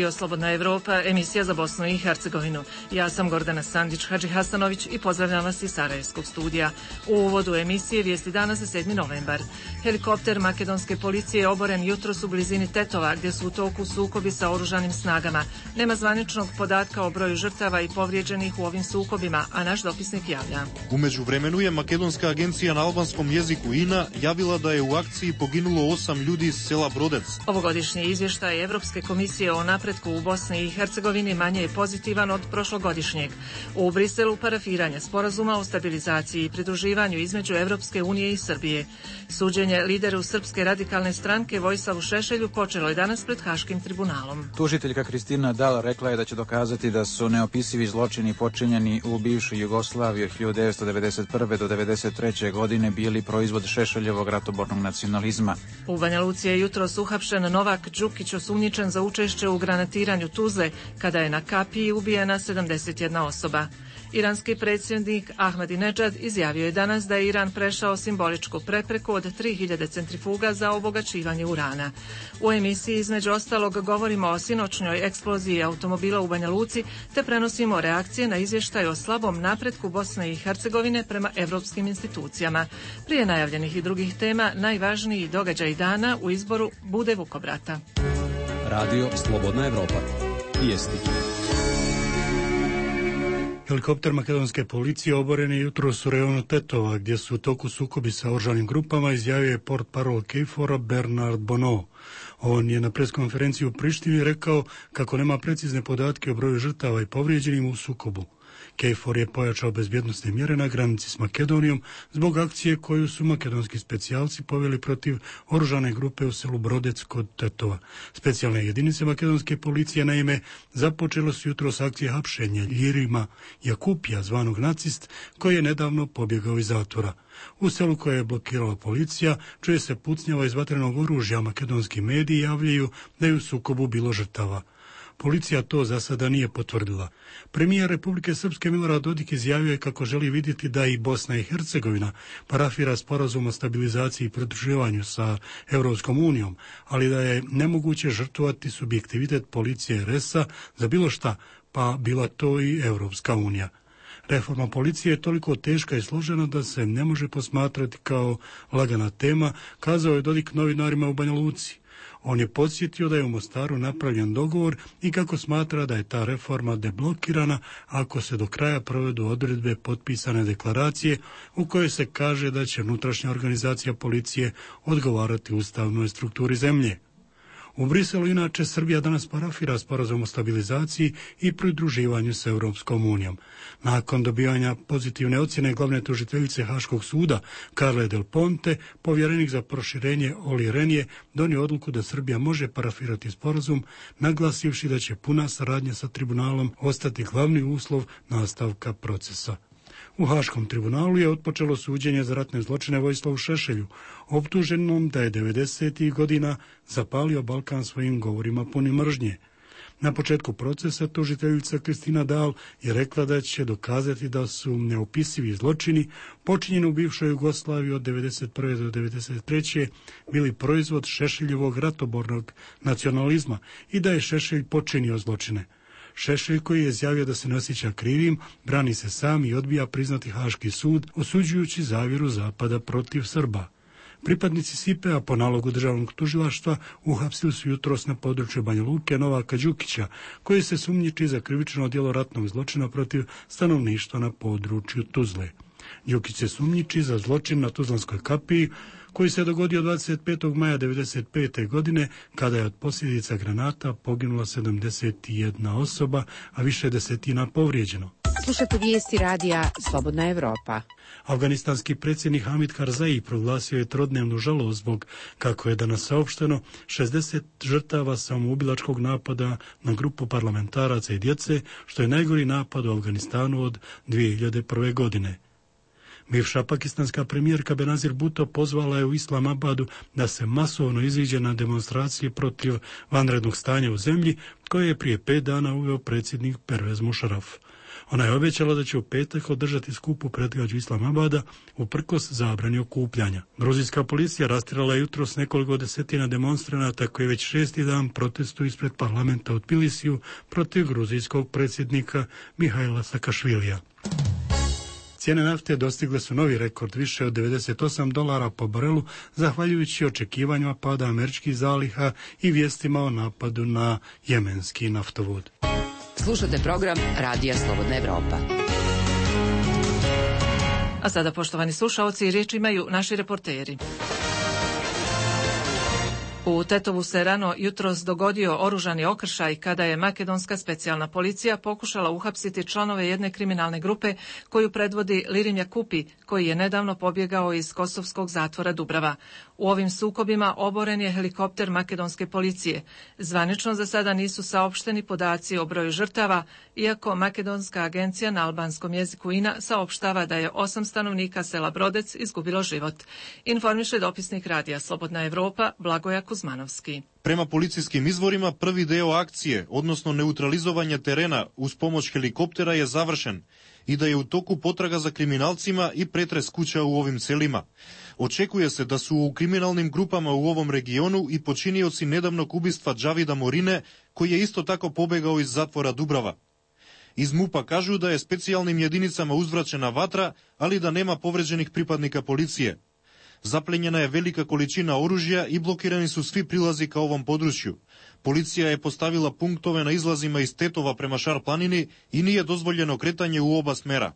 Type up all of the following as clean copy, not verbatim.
Radio Slobodna Evropa, emisija za Bosnu i Hercegovinu. Ja sam Gordana Sandić Hadžihasanović i pozdravljam vas iz Sarajevskog studija. U uvodu emisije vijesti danas za 7. novembar. Helikopter makedonske policije je oboren jutros u blizini Tetova, gdje su u toku sukobi sa oružanim snagama. Nema zvaničnog podatka o broju žrtava i povrijeđenih u ovim sukobima, a naš dopisnik javlja. U međuvremenu je makedonska agencija na albanskom jeziku INA javila da je u akciji poginulo 8 ljudi iz sela Brodec. Ovogodišnji izvještaj Evropske komisije o napretku u Bosni i Hercegovini manje je pozitivan od prošlogodišnjeg. U Briselu parafiranje sporazuma o stabilizaciji i pridruživanju između Evropske unije i Srbije. Suđenje lideru Srpske radikalne stranke Vojislavu Šešelju počelo je danas pred Haškim tribunalom. Tužiteljka Kristina Dal rekla je da će dokazati da su neopisivi zločini počinjeni u bivšoj Jugoslaviji od 1991. do 1993. godine bili proizvod Šešeljevog ratobornog nacionalizma. U Banja Luci je jutros uhapšen Novak Đukić, osumnjičen za učešće u granatiranju Tuzle, kada je na kapiji ubijena 71 osoba. Iranski predsjednik Ahmadinedžad izjavio je danas da je Iran prešao simboličku prepreku od 3000 centrifuga za obogaćivanje urana. U emisiji između ostalog govorimo o sinoćnjoj eksploziji automobila u Banja Luci te prenosimo reakcije na izvještaj o slabom napretku Bosne i Hercegovine prema evropskim institucijama. Prije najavljenih i drugih tema, najvažniji događaj dana u izboru bude Vukobrata. Radio Slobodna Evropa. Vijesti. Helikopter makedonske policije oboren je jutros u rejonu Tetova, gdje su u toku sukobi sa oružanim grupama, izjavio je portparol KFOR-a Bernard Bonneau. On je na preskonferenciji u Prištini rekao kako nema precizne podatke o broju žrtava i povrijeđenim u sukobu. KFOR je pojačao bezbjednosne mjere na granici s Makedonijom zbog akcije koju su makedonski specijalci poveli protiv oružane grupe u selu Brodec kod Tetova. Specijalne jedinice makedonske policije naime započelo su jutros akcije hapšenja Ljirima Jakupija, zvanog nacist, koji je nedavno pobjegao iz zatvora. U selu koje je blokirala policija čuje se pucnjava iz vatrenog oružja. Makedonski mediji javljaju da je u sukobu bilo žrtava. Policija to za sada nije potvrdila. Premijer Republike Srpske Milorad Dodik izjavio je kako želi vidjeti da i Bosna i Hercegovina parafira sporazum o stabilizaciji i pridruživanju sa Europskom unijom, ali da je nemoguće žrtvovati subjektivitet policije RS-a za bilo šta, pa bila to i Europska unija. Reforma policije je toliko teška i složena da se ne može posmatrati kao lagana tema, kazao je Dodik novinarima u Banja Luci. On je podsjetio da je u Mostaru napravljen dogovor i kako smatra da je ta reforma deblokirana ako se do kraja provedu odredbe potpisane deklaracije u kojoj se kaže da će unutrašnja organizacija policije odgovarati ustavnoj strukturi zemlje. U Briselu inače Srbija danas parafira sporazum o stabilizaciji i pridruživanju s Europskom unijom. Nakon dobivanja pozitivne ocjene glavne tužiteljice Haškog suda Carle Del Ponte, povjerenik za proširenje Olli Rehn je donio odluku da Srbija može parafirati sporazum, naglasivši da će puna saradnja sa tribunalom ostati glavni uslov nastavka procesa. U Haškom tribunalu je otpočelo suđenje za ratne zločine Vojislavu Šešelju, optuženom da je 90. godina zapalio Balkan svojim govorima punim mržnje. Na početku procesa tužiteljica Kristina Dal je rekla da će dokazati da su neopisivi zločini počinjeni u bivšoj Jugoslaviji od 1991. do 1993. bili proizvod Šešeljevog ratobornog nacionalizma i da je Šešelj počinio zločine. Šešelj, koji je izjavio da se ne osjeća krivim, brani se sam i odbija priznati Haški sud, osuđujući zavjeru Zapada protiv Srba. Pripadnici SIPE-a po nalogu državnog tužilaštva uhapsili su jutros na području Banja Luke Novaka Đukića, koji se sumnjiči za krivično djelo ratnog zločina protiv stanovništva na području Tuzle. Đukić se sumnjiči za zločin na Tuzlanskoj kapiji, koji se dogodio 25. maja 1995. godine, kada je od posljedica granata poginula 71 osoba, a više desetina povrijeđeno. Slušate vijesti radija Slobodna Evropa. Afganistanski predsjednik Hamid Karzai proglasio je trodnevnu žalost zbog, kako je danas saopšteno, 60 žrtava samoubilačkog napada na grupu parlamentaraca i djece, što je najgori napad u Afganistanu od 2001. godine. Bivša pakistanska premijerka Benazir Bhutto pozvala je u Islamabadu da se masovno iziđe na demonstracije protiv vanrednog stanja u zemlji koje je prije 5 dana uveo predsjednik Pervez Musharraf. Ona je obećala da će u petak održati skup u predgrađu Islamabada uprkos zabrani okupljanja. Gruzijska policija rastjerala je jutros nekoliko desetina demonstranata koji već 6. dan protestuju ispred parlamenta u Tbilisiju protiv gruzijskog predsjednika Mihaila Sakašvilija. Cijene nafte dostigle su novi rekord, više od $98 po barelu, zahvaljujući očekivanjima pada američkih zaliha i vijestima o napadu na jemenski naftovod. Slušate program Radija Slobodna Evropa. A sada, poštovani slušaoci, riječ imaju naši reporteri. U Tetovu se rano jutros dogodio oružani okršaj kada je makedonska specijalna policija pokušala uhapsiti članove jedne kriminalne grupe koju predvodi Lirim Jakupi, koji je nedavno pobjegao iz kosovskog zatvora Dubrava. U ovim sukobima oboren je helikopter makedonske policije. Zvanično za sada nisu saopšteni podaci o broju žrtava, iako makedonska agencija na albanskom jeziku INA saopštava da je 8 stanovnika sela Brodec izgubilo život. Informiše dopisnik Radija Slobodna Evropa Blagoja Kuzmanovski. Prema policijskim izvorima, prvi deo akcije, odnosno neutralizovanje terena uz pomoć helikoptera je završen i da je u toku potraga za kriminalcima i pretres kuća u ovim selima. Očekuje se da su u kriminalnim grupama u ovom regionu i počinioci nedavnog ubistva Džavida Morine, koji je isto tako pobegao iz zatvora Dubrava. Iz MUP-a kažu da je specijalnim jedinicama uzvraćena vatra, ali da nema povređenih pripadnika policije. Zaplenjena je velika količina oružja i blokirani su svi prilazi ka ovom području. Policija je postavila punktove na izlazima iz Tetova prema Šar planini i nije dozvoljeno kretanje u oba smera.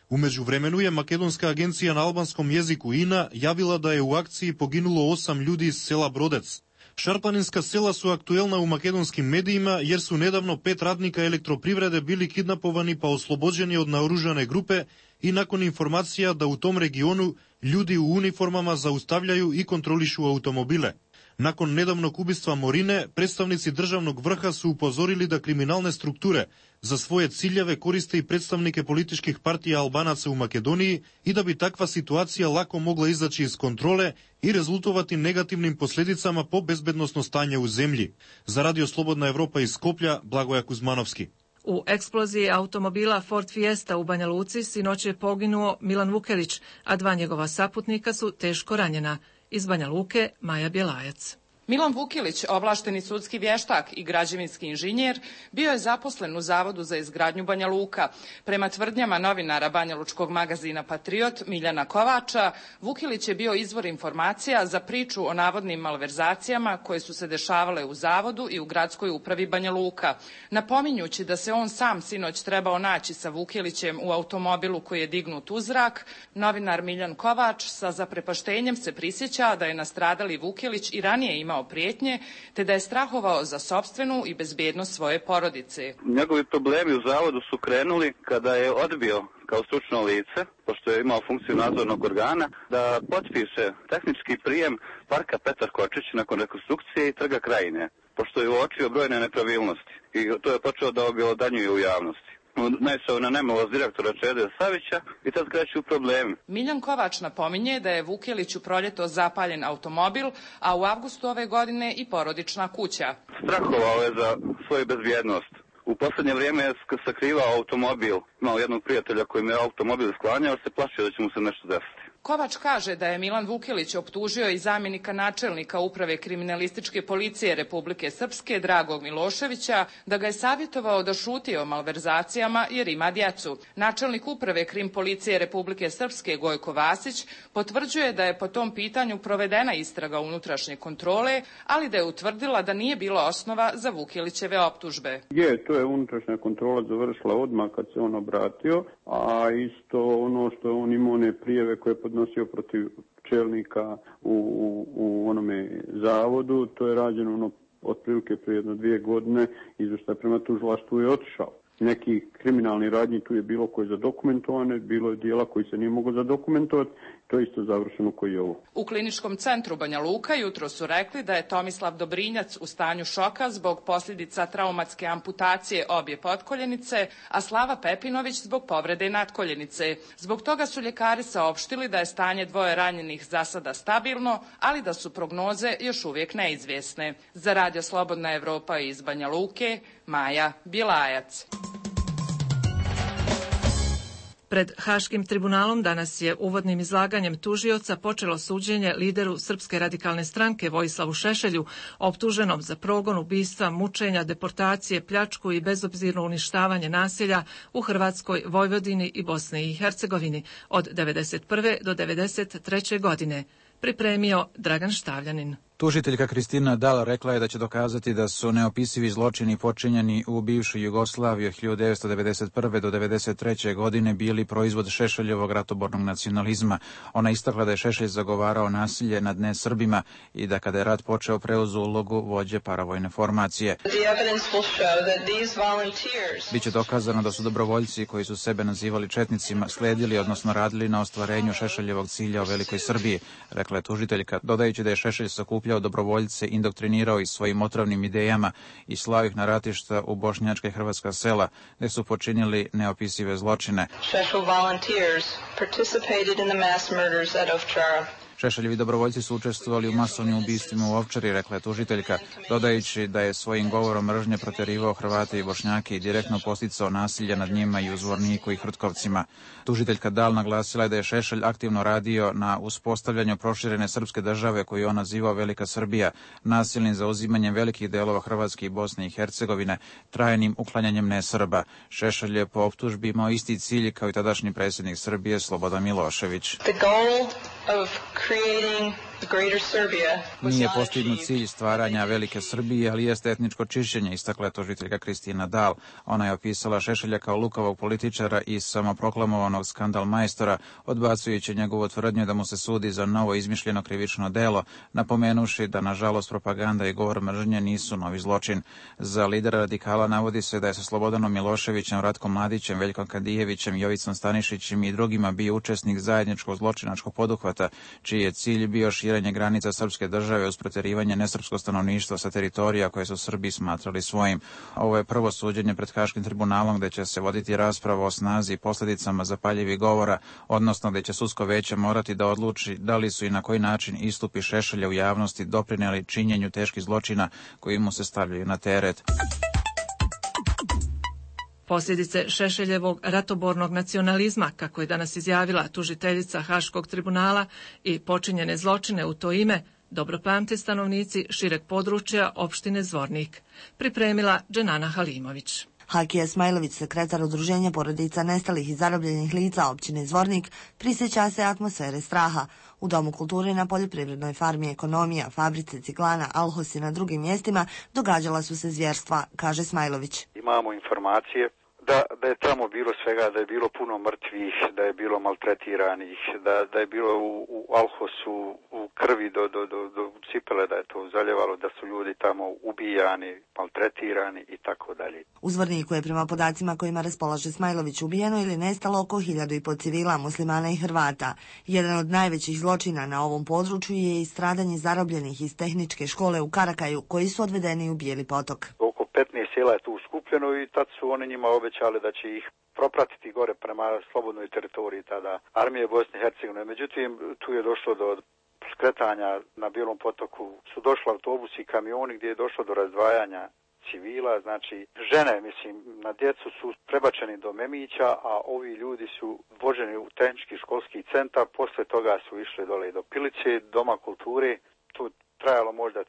U međuvremenu je makedonska agencija na albanskom jeziku INA javila da je u akciji poginulo 8 ljudi iz sela Brodec. Šarplaninska sela su aktuelna u makedonskim medijima jer su nedavno 5 radnika elektroprivrede bili kidnapovani pa oslobođeni od naoružane grupe i nakon informacija da u tom regionu ljudi u uniformama zaustavljaju i kontrolišu automobile. Nakon nedavnog ubistva Morine, predstavnici državnog vrha su upozorili da kriminalne strukture za svoje ciljeve koriste i predstavnike političkih partija Albanaca u Makedoniji i da bi takva situacija lako mogla izaći iz kontrole i rezultovati negativnim posljedicama po bezbednosno stanje u zemlji. Za Radio Slobodna Evropa iz Skoplja, Blagoja Kuzmanovski. U eksploziji automobila Ford Fiesta u Banja Luci sinoć je poginuo Milan Vukelić, a 2 njegova saputnika su teško ranjena. Iz Banja Luke, Maja Bjelajac. Milan Vukilić, ovlašteni sudski vještak i građevinski inženjer, bio je zaposlen u Zavodu za izgradnju Banja Luka. Prema tvrdnjama novinara banjalučkog magazina Patriot Miljana Kovača, Vukilić je bio izvor informacija za priču o navodnim malverzacijama koje su se dešavale u Zavodu i u gradskoj upravi Banja Luka. Napominjući da se on sam sinoć trebao naći sa Vukilićem u automobilu koji je dignut u zrak, novinar Miljan Kovač sa zaprepaštenjem se prisjeća da je nastradali Vukilić i ranije imao prijetnje, te da je strahovao za sopstvenu i bezbednost svoje porodice. Njegovi problemi u Zavodu su krenuli kada je odbio kao stručno lice, pošto je imao funkciju nadzornog organa, da potpiše tehnički prijem parka Petar Kočić nakon rekonstrukcije i Trga Krajine, pošto je uočio brojne nepravilnosti i to je počeo da objelodanjuje u javnosti. Naišao na nemilost direktora Čede Savića i tad kreću problemi. Miljan Kovač napominje da je Vukelić u proljeto zapaljen automobil, a u avgustu ove godine i porodična kuća. Strahovao je za svoju bezbjednost. U posljednje vrijeme je sakrivao automobil. Imao jednog prijatelja koji mi je automobil sklanjao, se plašio da će mu se nešto desiti. Kovač kaže da je Milan Vukilić optužio i zamjenika načelnika uprave kriminalističke policije Republike Srpske Dragog Miloševića da ga je savjetovao da šuti o malverzacijama jer ima djecu. Načelnik uprave krim policije Republike Srpske Gojko Vasić potvrđuje da je po tom pitanju provedena istraga unutrašnje kontrole, ali da je utvrdila da nije bilo osnova za Vukilićeve optužbe. To je unutrašnja kontrola završila odmah kad se on obratio, a isto ono što on imao one prijeve koje podnosio protiv čelnika u onome zavodu, to je rađeno otprilike prije 2 godine, izvještaj prema tužilaštvu je otišao. Neki kriminalni radnji tu je bilo koji je zadokumentovane, bilo je dijela koji se nije moglo zadokumentovati to isto završeno koji je ovo. U Kliničkom centru Banja Luka jutro su rekli da je Tomislav Dobrinjac u stanju šoka zbog posljedica traumatske amputacije obje potkoljenice, a Slava Pepinović zbog povrede natkoljenice. Zbog toga su ljekari saopštili da je stanje dvoje ranjenih za sada stabilno, ali da su prognoze još uvijek neizvjesne. Za Radio Slobodna Evropa iz Banja Luke, Maja Bjelajac. Pred Haškim tribunalom danas je uvodnim izlaganjem tužioca počelo suđenje lideru Srpske radikalne stranke Vojislavu Šešelju, optuženom za progon, ubistva, mučenja, deportacije, pljačku i bezobzirno uništavanje naselja u Hrvatskoj, Vojvodini i Bosni i Hercegovini od 1991. do 1993. godine. Pripremio Dragan Štavljanin. Tužiteljka Kristina Dal rekla je da će dokazati da su neopisivi zločini počinjeni u bivšoj Jugoslaviji od 1991. do 1993. godine bili proizvod Šešeljevog ratobornog nacionalizma. Ona istakla da je Šešelj zagovarao nasilje nad nesrbima i da kada je rat počeo preuzeo ulogu vođe paravojne formacije. Biće dokazano da su dobrovoljci koji su sebe nazivali četnicima sledili, odnosno radili na ostvarenju Šešeljevog cilja o Velikoj Srbiji, rekla je tužiteljka, dodajući da je Šešelj sakupljao dobrovoljce, indoktrinirao ih svojim otrovnim idejama i slao ih na ratišta u bošnjačka i hrvatska sela, gde su počinili neopisive zločine. Šešeljevi dobrovoljci su učestvovali u masovnim ubistvima u Ovčari, rekla je tužiteljka, dodajući da je svojim govorom mržnje proterivao Hrvate i Bošnjake i direktno posticao nasilje nad njima i u Zvorniku i Hrtkovcima. Tužiteljka Dal naglasila je da je Šešelj aktivno radio na uspostavljanju proširene srpske države koju on nazivao Velika Srbija, nasilnim zauzimanjem velikih delova Hrvatske i Bosne i Hercegovine, trajnim uklanjanjem nesrba. Šešelj je po optužbi imao isti cilj kao i tadašnji predsjednik Srbije Slobodan Milošević. Nije postignut cilj stvaranja Velike Srbije, ali jeste etničko čišćenje, istakla je tužiteljka Kristina Dal. Ona je opisala Šešelja kao lukavog političara i samoproklamovanog skandal majstora, odbacujući njegovu tvrdnju da mu se sudi za novo izmišljeno krivično delo, napomenuši da nažalost propaganda i govor mržnje nisu novi zločin. Za lidera radikala navodi se da je sa Slobodanom Miloševićem, Ratkom Mladićem, Veljkom Kadijevićem, Jovicom Stanišićem i drugima bio učesnik zajedničkog zločinačkog poduhvata, čiji je cilj bio širenje granica srpske države uz proterivanje nesrpskog stanovništva sa teritorija koje su Srbi smatrali svojim. Ovo je prvo suđenje pred Haškim tribunalom gde će se voditi rasprava o snazi i posljedicama zapaljivih govora, odnosno gde će sudsko veće morati da odluči da li su i na koji način istupi Šešelja u javnosti doprineli činjenju teških zločina koji mu se stavljaju na teret. Posljedice Šešeljevog ratobornog nacionalizma, kako je danas izjavila tužiteljica Haškog tribunala, i počinjene zločine u to ime dobro pamte stanovnici šireg područja opštine Zvornik. Pripremila Dženana Halimović. Hakija Smajlović, sekretar Udruženja porodica nestalih i zarobljenih lica općine Zvornik, prisjeća se atmosfere straha. U Domu kulture na poljoprivrednoj farmi Ekonomija, fabrice Ciglana, Alhos i na drugim mjestima događala su se zvjerstva, kaže Smajlović. Imamo informacije da je tamo bilo svega, da je bilo puno mrtvih, da je bilo maltretiranih, da je bilo u Alhosu u krvi do cipele, da je to zaljevalo, da su ljudi tamo ubijani, maltretirani i tako dalje. U Zvorniku je prema podacima kojima raspolaže Smajlović ubijeno ili nestalo oko 1.500 civila, muslimana i Hrvata. Jedan od najvećih zločina na ovom području je i stradanje zarobljenih iz tehničke škole u Karakaju, koji su odvedeni u Bijeli potok. 15 sela je tu skupljeno i tad su oni njima obećali da će ih propratiti gore prema slobodnoj teritoriji tada armije Bosne i Hercegovine. Međutim, tu je došlo do skretanja na Bijelom potoku. Su došli autobusi i kamioni gdje je došlo do razdvajanja civila, znači žene, na djecu su prebačeni do Memića, a ovi ljudi su voženi u tehnički školski centar, posle toga su išli dole do Pilice, Doma kulture, tu trajalo možda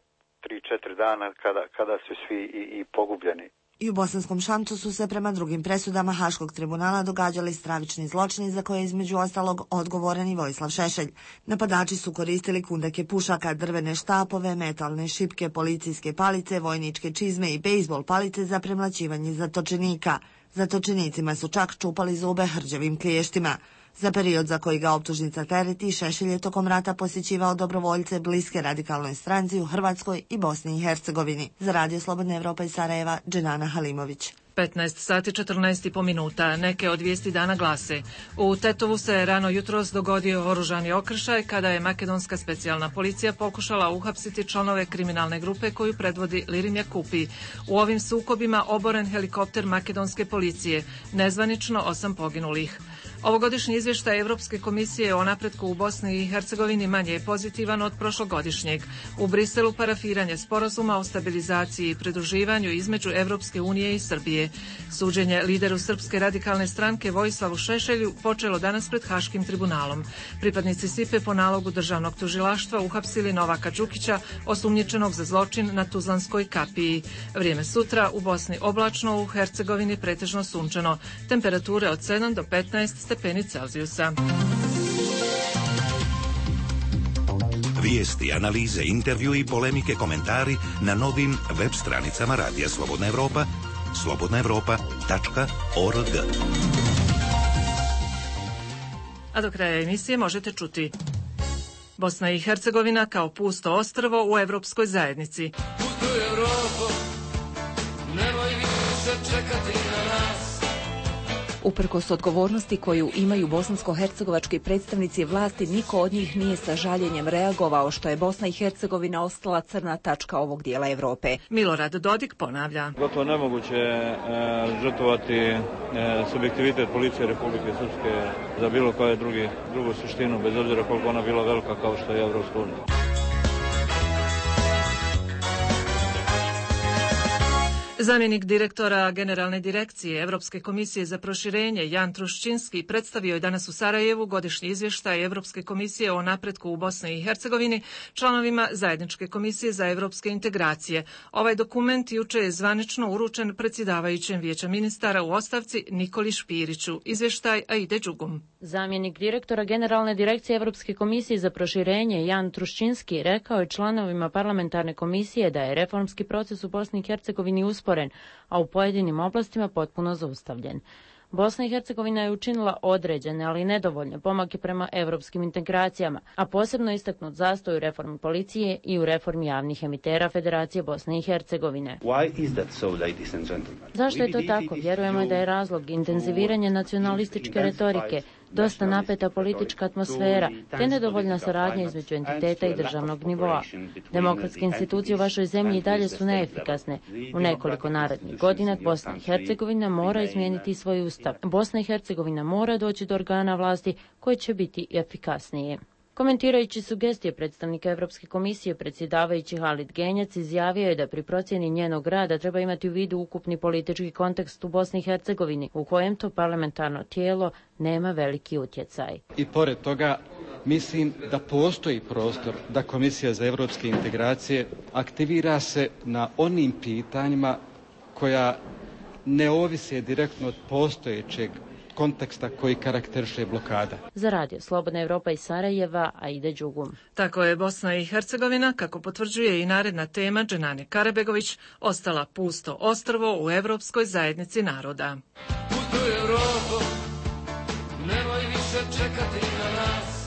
3-4 dana kada su svi i pogubljeni. I u Bosanskom Šamcu su se prema drugim presudama Haškog tribunala događali stravični zločini za koje je između ostalog odgovoran i Vojislav Šešelj. Napadači su koristili kundake pušaka, drvene štapove, metalne šipke, policijske palice, vojničke čizme i bejzbol palice za premlaćivanje zatočenika. Zatočenicima su čak čupali zube hrđavim kliještima. Za period za koji ga optužnica tereti, Šešelj je tokom rata posjećivao dobrovoljce bliske radikalnoj stranci u Hrvatskoj i Bosni i Hercegovini. Za Radio Slobodna Evropa iz Sarajeva, Dženana Halimović. 15 sati 14,5 minuta. Neke od vijesti dana glase. U Tetovu se rano jutros dogodio oružani okršaj kada je makedonska specijalna policija pokušala uhapsiti članove kriminalne grupe koju predvodi Lirim Jakupi. U ovim sukobima oboren helikopter makedonske policije. Nezvanično 8 poginulih. Ovogodišnji izvještaj Evropske komisije o napretku u Bosni i Hercegovini manje je pozitivan od prošlogodišnjeg. U Briselu parafiranje sporazuma o stabilizaciji i pridruživanju između Evropske unije i Srbije. Suđenje lideru Srpske radikalne stranke Vojislavu Šešelju počelo danas pred Haškim tribunalom. Pripadnici SIPE po nalogu državnog tužilaštva uhapsili Novaka Đukića, osumnjičenog za zločin na Tuzlanskoj kapiji. Vrijeme sutra u Bosni oblačno, u Hercegovini pretežno sunčano. Temperature od 7 do 15 stepeni Celzijusa. Vijesti, analize, intervju i polemike, komentari na novim web stranicama Radija Slobodna Evropa, slobodnaevropa.org. A do kraja emisije možete čuti: Bosna i Hercegovina kao pusto ostrvo u Evropskoj zajednici. Putuj Evropo, nemoj više čekati na nas. Uprkos odgovornosti koju imaju bosansko-hercegovački predstavnici vlasti, niko od njih nije sa žaljenjem reagovao što je Bosna i Hercegovina ostala crna tačka ovog dijela Evrope. Milorad Dodik ponavlja. Gotovo nemoguće žrtvovati subjektivitet policije Republike Srpske za bilo koje drugu suštinu, bez obzira koliko ona bila velika kao što je Evropska unija. Zamjenik direktora Generalne direkcije Evropske komisije za proširenje Jan Truščinski predstavio je danas u Sarajevu godišnji izvještaj Evropske komisije o napretku u Bosni i Hercegovini članovima Zajedničke komisije za evropske integracije. Ovaj dokument juče je zvanično uručen predsjedavajućem Vijeća ministara u ostavci Nikoli Špiriću. Izvještaj Aide Đugum. Zamjenik direktora Generalne direkcije Evropske komisije za proširenje Jan Truščinski rekao je članovima parlamentarne komisije da je reformski proces u Bosni i Hercegovini usporen, a u pojedinim oblastima potpuno zaustavljen. Bosna i Hercegovina je učinila određene, ali nedovoljne pomake prema evropskim integracijama, a posebno istaknut zastoj u reformi policije i u reformi javnih emitera Federacije Bosne i Hercegovine. Zašto je to tako? Vjerujemo da je razlog intenziviranje nacionalističke retorike, dosta napeta politička atmosfera, te nedovoljna saradnja između entiteta i državnog nivoa. Demokratske institucije u vašoj zemlji i dalje su neefikasne. U nekoliko narednih godina Bosna i Hercegovina mora izmijeniti svoj ustav. Bosna i Hercegovina mora doći do organa vlasti koji će biti efikasnije. Komentirajući sugestije predstavnika Evropske komisije, predsjedavajući Halid Genjac izjavio je da pri procjeni njenog rada treba imati u vidu ukupni politički kontekst u Bosni i Hercegovini, u kojem to parlamentarno tijelo nema veliki utjecaj. I pored toga, mislim da postoji prostor da Komisija za evropske integracije aktivira se na onim pitanjima koja ne ovise direktno od postojećeg konteksta koji karakteriše blokada. Za Radio Slobodna Evropa iz Sarajeva, Aida Đugum. Tako je Bosna i Hercegovina, kako potvrđuje i naredna tema Dženane Karabegović, ostala pusto ostrvo u Evropskoj zajednici naroda. Putuj Evropo, nemoj više čekati na nas.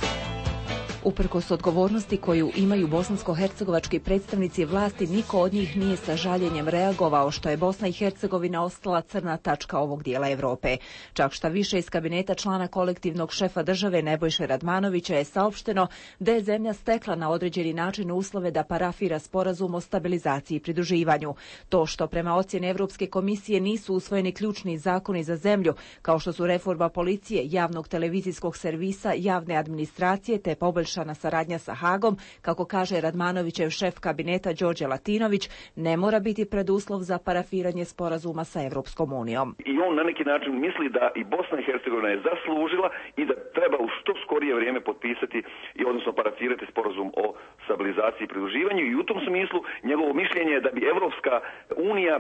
Uprkos odgovornosti koju imaju bosansko-hercegovački predstavnici vlasti, niko od njih nije sa žaljenjem reagovao što je Bosna i Hercegovina ostala crna tačka ovog dijela Evrope. Čak šta više, iz kabineta člana kolektivnog šefa države Nebojše Radmanovića je saopšteno da je zemlja stekla na određeni način uslove da parafira sporazum o stabilizaciji i pridruživanju. To što prema ocjeni Evropske komisije nisu usvojeni ključni zakoni za zemlju, kao što su reforma policije, javnog televizijskog servisa, javne administracije te poboljšanja na saradnja sa Hagom, kako kaže Radmanovićev šef kabineta Đorđe Latinović, ne mora biti preduslov za parafiranje sporazuma sa Evropskom unijom. I on na neki način misli da i Bosna i Hercegovina je zaslužila i da treba u što skorije vrijeme potpisati i odnosno parafirati sporazum o stabilizaciji i pridruživanju, i u tom smislu njegovo mišljenje je da bi Evropska unija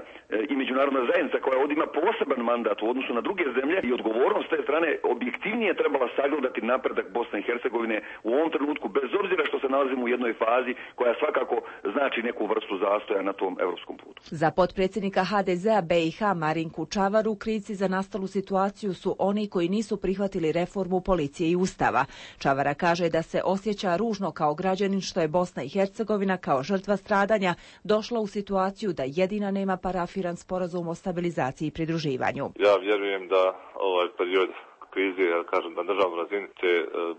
i međunarodna zajednica, koja ovdje ima poseban mandat u odnosu na druge zemlje i odgovornost te strane, objektivnije trebala sagledati napredak Bosne i Hercegovine u ovom trenutku, bez obzira što se nalazimo u jednoj fazi koja svakako znači neku vrstu zastoja na tom evropskom putu. Za potpredsjednika HDZ-a BiH Marinku Čavaru krivci za nastalu situaciju su oni koji nisu prihvatili reformu policije i ustava. Čavara kaže da se osjeća ružno kao građanin što je Bosna i Hercegovina kao žrtva stradanja došla u situaciju da jedina nema parafiran sporazum o stabilizaciji i pridruživanju. Ja vjerujem da ovaj period krize, ja kažem, na državnoj razini će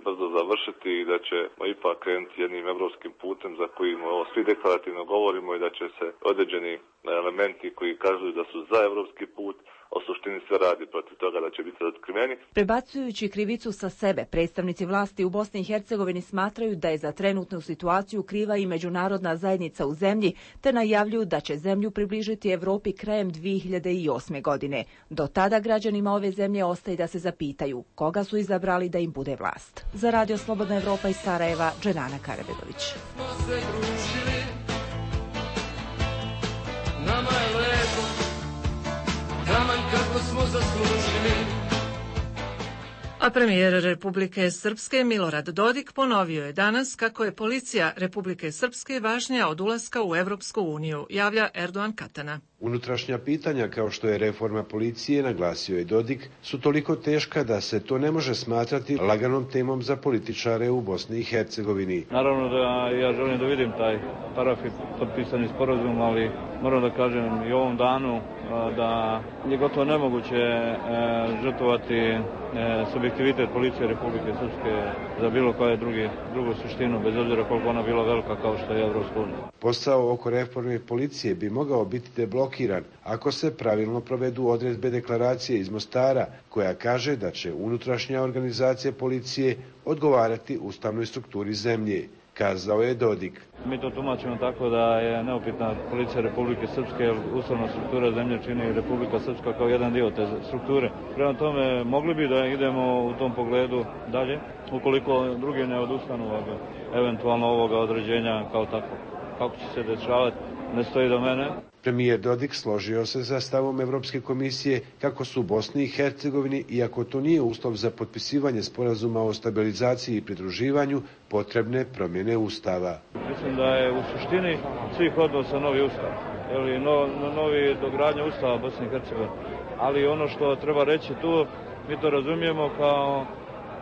brzo završiti i da ćemo ipak krenuti jednim evropskim putem za kojim svi deklarativno govorimo i da će se određeni elementi koji kažu da su za evropski put, o suštini sve radi protiv toga da će biti otkriveni. Prebacujući krivicu sa sebe, predstavnici vlasti u Bosni i Hercegovini smatraju da je za trenutnu situaciju kriva i međunarodna zajednica u zemlji, te najavljuju da će zemlju približiti Evropi krajem 2008. godine. Do tada građanima ove zemlje ostaje da se zapitaju koga su izabrali da im bude vlast. Za Radio Slobodna Evropa iz Sarajeva, Dženana Karabegović. Nama je lepo, kamanj kako smo zaslužili. A premijer Republike Srpske Milorad Dodik ponovio je danas kako je policija Republike Srpske važnija od ulaska u Evropsku uniju, javlja Erdogan Katana. Unutrašnja pitanja kao što je reforma policije, naglasio je Dodik, su toliko teška da se to ne može smatrati laganom temom za političare u Bosni i Hercegovini. Naravno da ja želim da vidim taj parafi potpisani sporazum, ali moram da kažem i ovom danu da je gotovo nemoguće žrtvovati subjektivitet policije Republike Srpske za bilo koje drugu suštinu, bez obzira koliko ona bila velika kao što je Evropska unija. Posao oko reforme policije bi mogao biti deblokiran ako se pravilno provedu odredbe deklaracije iz Mostara, koja kaže da će unutrašnja organizacija policije odgovarati ustavnoj strukturi zemlje, kazao je Dodik. Mi to tumačimo tako da je neupitna policija Republike Srpske, jer ustavna struktura zemlje čini Republika Srpska kao jedan dio te strukture. Prema tome, mogli bi da idemo u tom pogledu dalje, ukoliko drugi ne odustanu od eventualno ovoga određenja kao tako. Kako će se dešavati, ne stoji do mene. Premijer Dodik složio se sa stavom Evropske komisije kako su u Bosni i Hercegovini, iako to nije uslov za potpisivanje sporazuma o stabilizaciji i pridruživanju, potrebne promjene ustava. Mislim da je u suštini svih odnosa novi ustav, novi dogradnja ustava Bosne i Hercegovine. Ali ono što treba reći tu, mi to razumijemo kao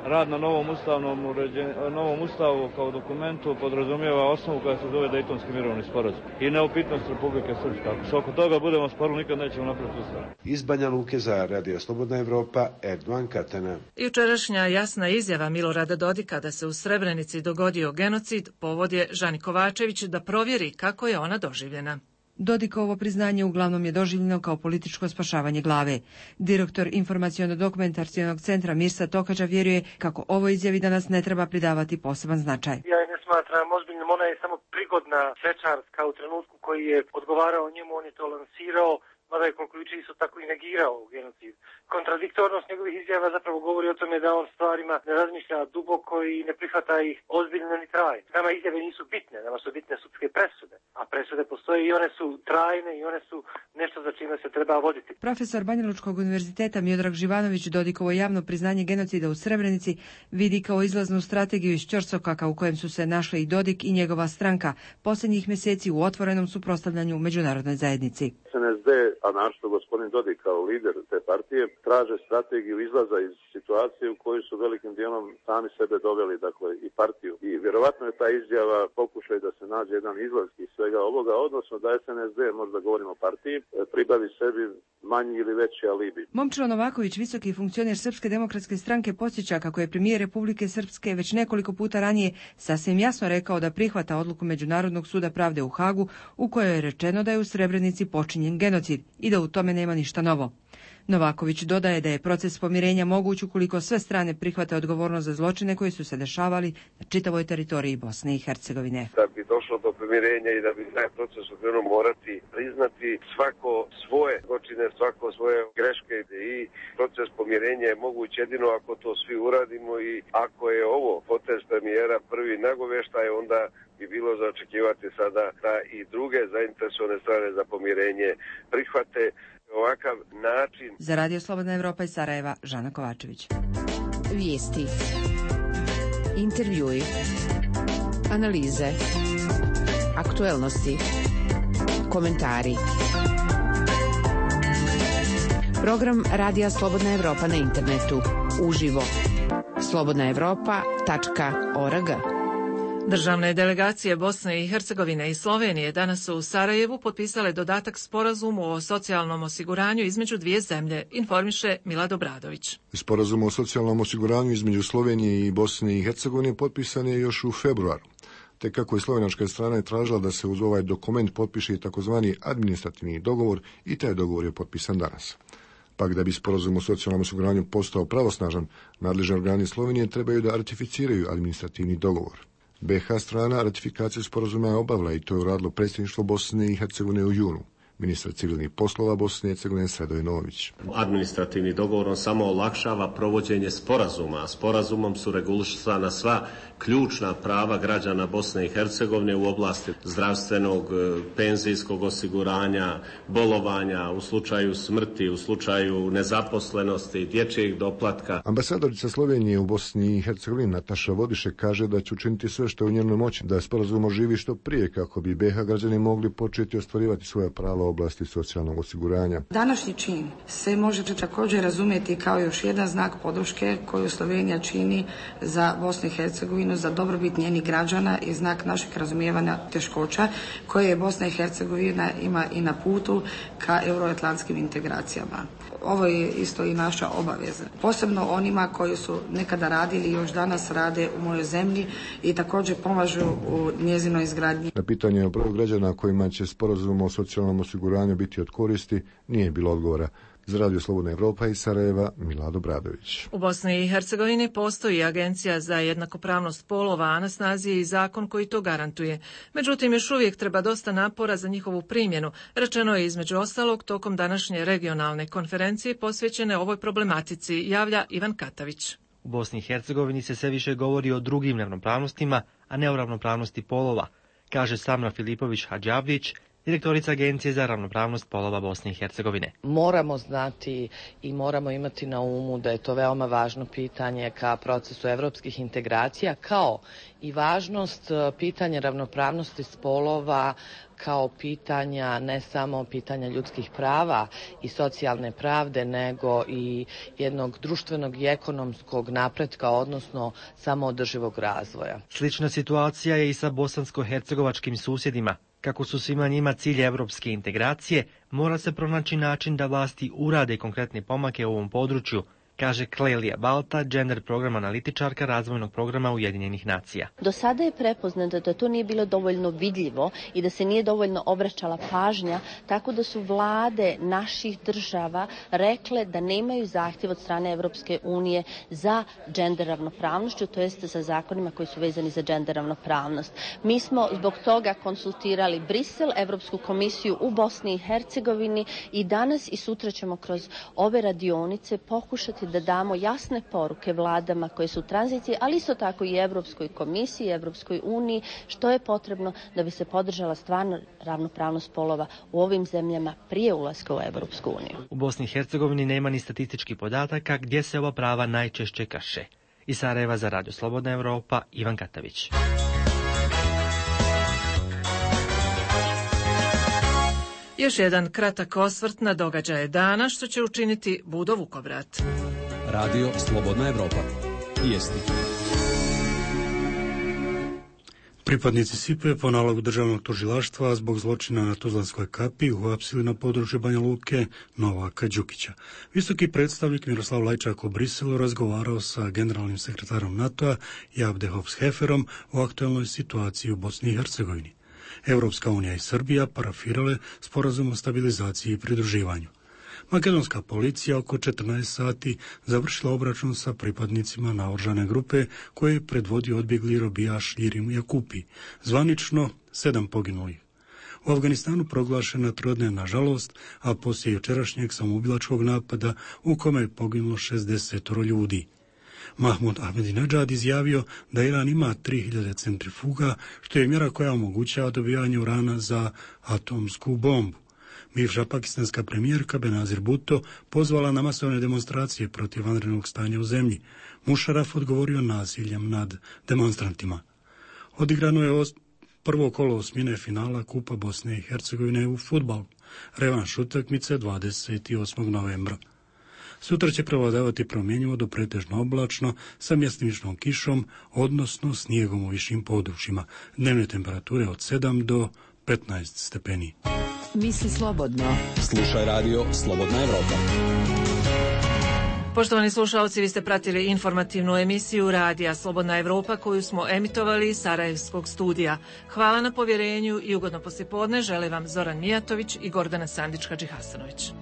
rad na novom ustavu kao dokumentu podrazumijeva osnovu koja se zove Dejtonski mirovni sporazum i neupitnost Republike Srpske. Ako se oko toga budemo sporili, nikad nećemo napraviti ustav. Iz Banja Luke za Radio Slobodna Evropa, Erdogan Katana. Jučerašnja jasna izjava Milorada Dodika da se u Srebrenici dogodio genocid povod je Žani Kovačević da provjeri kako je ona doživljena. Dodikovo priznanje uglavnom je doživljeno kao političko spašavanje glave. Direktor informaciono-dokumentacionog centra Mirsa Tokađa vjeruje kako ovo izjavi danas ne treba pridavati poseban značaj. Ja je ne smatram ozbiljnom, ona je samo prigodna svečarska u trenutku koji je odgovarao njemu, on je to lansirao, mada je koliko juče isto tako i negirao genocid. Kontradiktornost njegovih izjava zapravo govori o tome da on stvarima ne razmišlja duboko i ne prihvata ih ozbiljno ni trajno. Nama izjave nisu bitne, nama su bitne sudske presude, a presude postoje i one su trajne i one su nešto za čime se treba voditi. Profesor Banjalučkog univerziteta Miodrag Živanović Dodikovo javno priznanje genocida u Srebrenici vidi kao izlaznu strategiju iz ćorsokaka u kojem su se našli i Dodik i njegova stranka posljednjih mjeseci u otvorenom suprotstavljanju međunarodnoj zajednici. SNSD, a našto gospodin Dodik kao lider te partije, traže strategiju izlaza iz situacije u kojoj su velikim dijelom sami sebe doveli, dakle i partiju. I vjerovatno je ta izjava pokušaj da se nađe jedan izlaz iz svega ovoga, odnosno da SNSD, možda govorimo o partiji, pribavi sebi manji ili veći alibi. Momčilo Novaković, visoki funkcioner Srpske demokratske stranke, podsjeća kako je premijer Republike Srpske već nekoliko puta ranije sasvim jasno rekao da prihvata odluku Međunarodnog suda pravde u Hagu u kojoj je rečeno da je u Srebrenici počinjen genocid i da u tome nema ništa novo. Novaković dodaje da je proces pomirenja moguć ukoliko sve strane prihvate odgovornost za zločine koji su se dešavali na čitavoj teritoriji Bosne i Hercegovine. Da bi došlo do pomirenja i da bi taj proces okrenuo morati priznati svako svoje zločine, svako svoje greške i proces pomirenja je moguć jedino ako to svi uradimo i ako je ovo potez premijera prvi nagovještaj, onda bi bilo za očekivati sada da i druge zainteresovane strane za pomirenje prihvate ovakav način. Za Radio Slobodna Evropa iz Sarajeva, Žana Kovačević. Vijesti. Intervjui. Analize, aktuelnosti, komentari. Program Radija Slobodna Evropa na internetu. Uživo. slobodnaevropa.org. Državne delegacije Bosne i Hercegovine i Slovenije danas su u Sarajevu potpisale dodatak sporazumu o socijalnom osiguranju između dvije zemlje, informiše Milad Obradović. Sporazum o socijalnom osiguranju između Slovenije i Bosne i Hercegovine potpisan je još u februaru. Te kako je slovenačka strana tražila da se uz ovaj dokument potpiše takozvani administrativni dogovor i taj dogovor je potpisan danas. Pak da bi sporazum o socijalnom osiguranju postao pravosnažan, nadležni organi Slovenije trebaju da ratificiraju administrativni dogovor. BiH strana ratifikaciju sporazuma je obavila i to je uradilo predsjedništvo Bosne i Hercegovine u junu. Ministar civilnih poslova Bosne i Hercegovine Sredoje Nović. Administrativni dogovor on samo olakšava provođenje sporazuma. Sporazumom su regulisana sva ključna prava građana Bosne i Hercegovine u oblasti zdravstvenog, penzijskog osiguranja, bolovanja, u slučaju smrti, u slučaju nezaposlenosti, dječjeg doplatka. Ambasadorica Slovenije u Bosni i Hercegovini Nataša Vodiše kaže da će učiniti sve što je u njenoj moći da sporazum oživi što prije kako bi BiH građani mogli početi ostvarivati svoja prava u oblasti socijalnog osiguranja. Današnji čin se može također razumjeti kao još jedan znak podrške koju Slovenija čini za Bosnu i Hercegovinu, za dobrobit njenih građana i znak našeg razumijevanja teškoća koje je Bosna i Hercegovina ima i na putu ka euroatlantskim integracijama. Ovo je isto i naša obaveza. Posebno onima koji su nekada radili i još danas rade u mojoj zemlji i također pomažu u njezinoj izgradnji. Na pitanje o broju građana kojima će sporazum o socijalnom osiguranju biti od koristi nije bilo odgovora. Za Radio Slobodna Evropa iz Sarajeva, Milad Obradović. U Bosni i Hercegovini postoji Agencija za jednakopravnost spolova, a na snazi je i zakon koji to garantuje. Međutim, još uvijek treba dosta napora za njihovu primjenu, rečeno je između ostalog tokom današnje regionalne konferencije posvećene ovoj problematici, javlja Ivan Katavić. U Bosni i Hercegovini se sve više govori o drugim ravnopravnostima, a ne o ravnopravnosti polova, kaže Samra Filipović Hadžavdić, direktorica Agencije za ravnopravnost polova Bosne i Hercegovine. Moramo znati i moramo imati na umu da je to veoma važno pitanje ka procesu evropskih integracija, kao i važnost pitanja ravnopravnosti spolova kao pitanja, ne samo pitanja ljudskih prava i socijalne pravde, nego i jednog društvenog i ekonomskog napretka, odnosno samoodrživog razvoja. Slična situacija je i sa bosansko-hercegovačkim susjedima. Kako su svima njima cilj evropske integracije, mora se pronaći način da vlasti urade konkretne pomake u ovom području, kaže Klelija Balta, gender program analitičarka razvojnog programa Ujedinjenih nacija. Do sada je prepoznato da to nije bilo dovoljno vidljivo i da se nije dovoljno obraćala pažnja, tako da su vlade naših država rekle da nemaju zahtjev od strane Evropske unije za gender ravnopravnošću, to jest za zakonima koji su vezani za gender ravnopravnost. Mi smo zbog toga konsultirali Brisel, Evropsku komisiju u Bosni i Hercegovini i danas i sutra ćemo kroz ove radionice pokušati da damo jasne poruke vladama koje su u tranziciji, ali isto tako i Evropskoj komisiji, Evropskoj uniji, što je potrebno da bi se podržala stvarno ravnopravnost polova u ovim zemljama prije ulaska u Evropsku uniju. U Bosni i Hercegovini nema ni statističkih podataka gdje se ova prava najčešće krše. Iz Sarajeva za Radio Slobodna Evropa, Ivan Katavić. Još jedan kratak osvrt na događaje dana, što će učiniti Budo Vukovrat. Radio Slobodna Evropa. Vijesti. Pripadnici SIPA po nalogu državnog tužilaštva zbog zločina na Tuzlanskoj kapi uhapsili na području Banja Luke Novaka Đukića. Visoki predstavnik Miroslav Lajčak u Briselu razgovarao sa generalnim sekretarom NATO-a Javde Hops-Heferom o aktualnoj situaciji u Bosni i Hercegovini. Evropska unija i Srbija parafirale sporazum o stabilizaciji i pridruživanju. Makedonska policija oko 14 sati završila obračun sa pripadnicima naoružane grupe koje je predvodio odbjegli robijaš Irim Jakupi, zvanično 7 poginulih. U Afganistanu proglašena trodnevna žalost, a poslije jučerašnjeg samoubilačkog napada u kome je poginulo 60 ljudi. Mahmud Ahmadinejad izjavio da Iran ima 3000 centrifuga, što je mjera koja omogućava dobivanje urana za atomsku bombu. Bivša pakistanska premijerka Benazir Bhutto pozvala na masovne demonstracije protiv vanrednog stanja u zemlji. Mušaraf odgovorio nasiljem nad demonstrantima. Odigrano je prvo kolo osmine finala Kupa Bosne i Hercegovine u fudbalu. Revanš utakmice 28. novembra. Sutra će prevladavati promjenjivo do pretežno oblačno sa mjestimičnom kišom, odnosno snijegom u višim područjima. Dnevne temperature od 7 do 15 stepeni. Misli slobodno. Slušaj radio Slobodna Evropa. Poštovani slušalci, vi ste pratili informativnu emisiju Radija Slobodna Evropa koju smo emitovali iz Sarajevskog studija. Hvala na povjerenju i ugodno poslijepodne žele vam Zoran Mijatović i Gordana Sandić-Hadžihasanović.